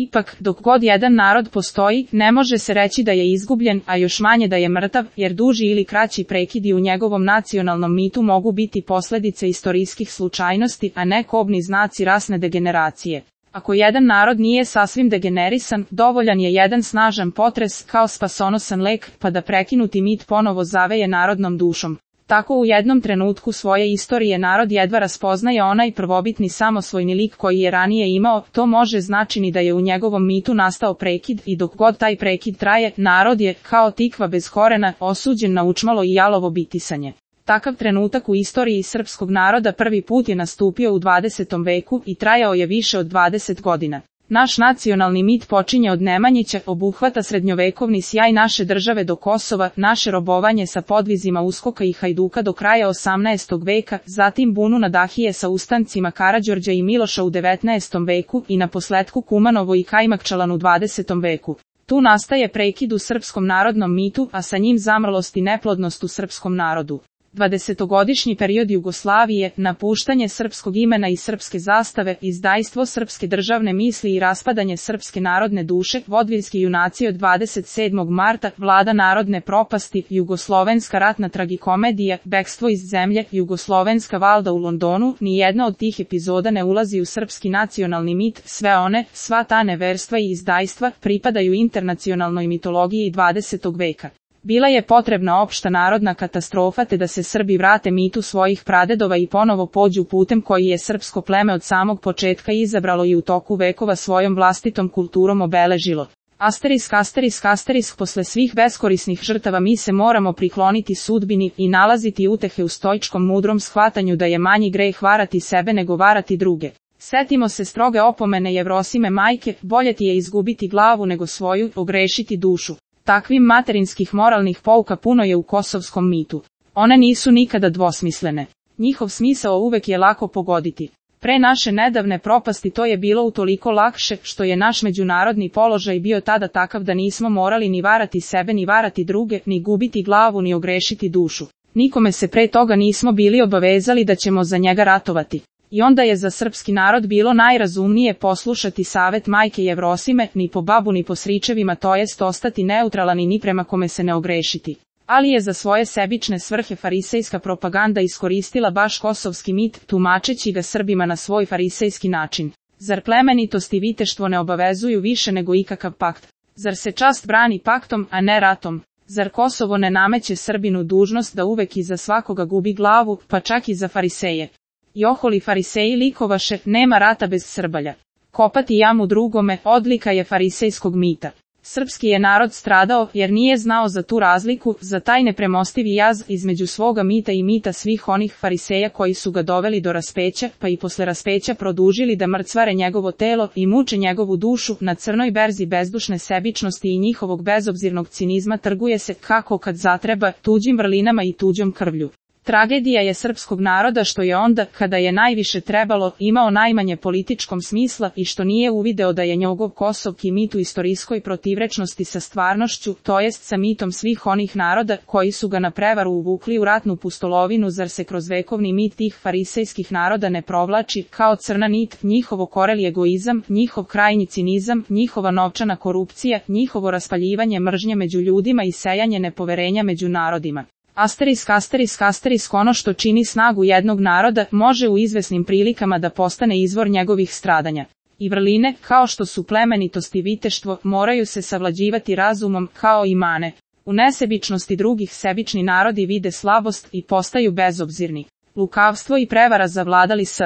Ipak, dok god jedan narod postoji, ne može se reći da je izgubljen, a još manje da je mrtav, jer duži ili kraći prekidi u njegovom nacionalnom mitu mogu biti posledice istorijskih slučajnosti, a ne kobni znaci rasne degeneracije. Ako jedan narod nije sasvim degenerisan, dovoljan je jedan snažan potres kao spasonosan lek, pa da prekinuti mit ponovo zaveje narodnom dušom. Tako u jednom trenutku svoje istorije narod jedva raspoznaje onaj prvobitni samosvojni lik koji je ranije imao, to može značiti da je u njegovom mitu nastao prekid i dok god taj prekid traje, narod je, kao tikva bez korena, osuđen na učmalo i jalovo bitisanje. Takav trenutak u istoriji srpskog naroda prvi put je nastupio u 20. veku i trajao je više od 20 godina. Naš nacionalni mit počinje od Nemanjića, obuhvata srednjovekovni sjaj naše države do Kosova, naše robovanje sa podvizima Uskoka i Hajduka do kraja 18. veka, zatim bunu Nadahije sa ustancima Karađorđa i Miloša u 19. veku i naposletku Kumanovo i Kajmakčalan u 20. veku. Tu nastaje prekid u srpskom narodnom mitu, a sa njim zamrlost i neplodnost u srpskom narodu. 20-godišnji period Jugoslavije, napuštanje srpskog imena i srpske zastave, izdajstvo srpske državne misli i raspadanje srpske narodne duše, vodviljski junaci od 27. marta, vlada narodne propasti, jugoslovenska ratna tragikomedija, bekstvo iz zemlje, jugoslovenska valda u Londonu, nijedna od tih epizoda ne ulazi u srpski nacionalni mit, sva ta neverstva i izdajstva pripadaju internacionalnoj mitologiji 20. veka. Bila je potrebna opšta narodna katastrofa te da se Srbi vrate mitu svojih pradedova i ponovo pođu putem koji je srpsko pleme od samog početka izabralo i u toku vekova svojom vlastitom kulturom obeležilo. Asterisk, posle svih beskorisnih žrtava mi se moramo prikloniti sudbini i nalaziti utehe u stoičkom mudrom shvatanju da je manji greh varati sebe nego varati druge. Setimo se stroge opomene Jevrosime majke, bolje ti je izgubiti glavu nego svoju, ogrešiti dušu. Takvim materinskih moralnih pouka puno je u kosovskom mitu. One nisu nikada dvosmislene. Njihov smisao uvek je lako pogoditi. Pre naše nedavne propasti to je bilo utoliko lakše što je naš međunarodni položaj bio tada takav da nismo morali ni varati sebe ni varati druge, ni gubiti glavu ni ogrešiti dušu. Nikome se pre toga nismo bili obavezali da ćemo za njega ratovati. I onda je za srpski narod bilo najrazumnije poslušati savet majke Jevrosime, ni po babu ni po stričevima, to jest ostati neutralan i ni prema kome se ne ogrešiti. Ali je za svoje sebične svrhe farisejska propaganda iskoristila baš kosovski mit, tumačeći ga Srbima na svoj farisejski način. Zar plemenitost i viteštvo ne obavezuju više nego ikakav pakt? Zar se čast brani paktom, a ne ratom? Zar Kosovo ne nameće Srbinu dužnost da uvek iza svakoga gubi glavu, pa čak i za fariseje? I oholi fariseji likovaše, nema rata bez Srbalja. Kopati jamu drugome, odlika je farisejskog mita. Srpski je narod stradao jer nije znao za tu razliku, za taj nepremostivi jaz između svoga mita i mita svih onih fariseja koji su ga doveli do raspeća, pa i posle raspeća produžili da mrcvare njegovo telo i muče njegovu dušu. Na crnoj berzi bezdušne sebičnosti i njihovog bezobzirnog cinizma trguje se, kako kad zatreba, tuđim vrlinama i tuđom krvlju. Tragedija je srpskog naroda što je onda, kada je najviše trebalo, imao najmanje političkom smisla i što nije uvideo da je njegov kosovki mit u istorijskoj protivrečnosti sa stvarnošću, to jest sa mitom svih onih naroda koji su ga na prevaru uvukli u ratnu pustolovinu. Zar se kroz vekovni mit tih farisejskih naroda ne provlači, kao crna nit, njihovo koreli egoizam, njihov krajnji cinizam, njihova novčana korupcija, njihovo raspaljivanje mržnje među ljudima i sejanje nepoverenja među narodima? Asterisk, ono što čini snagu jednog naroda, može u izvesnim prilikama da postane izvor njegovih stradanja. I vrline, kao što su plemenitost i viteštvo, moraju se savlađivati razumom, kao i mane. U nesebičnosti drugih sebični narodi vide slabost i postaju bezobzirni. Lukavstvo i prevara zavladali s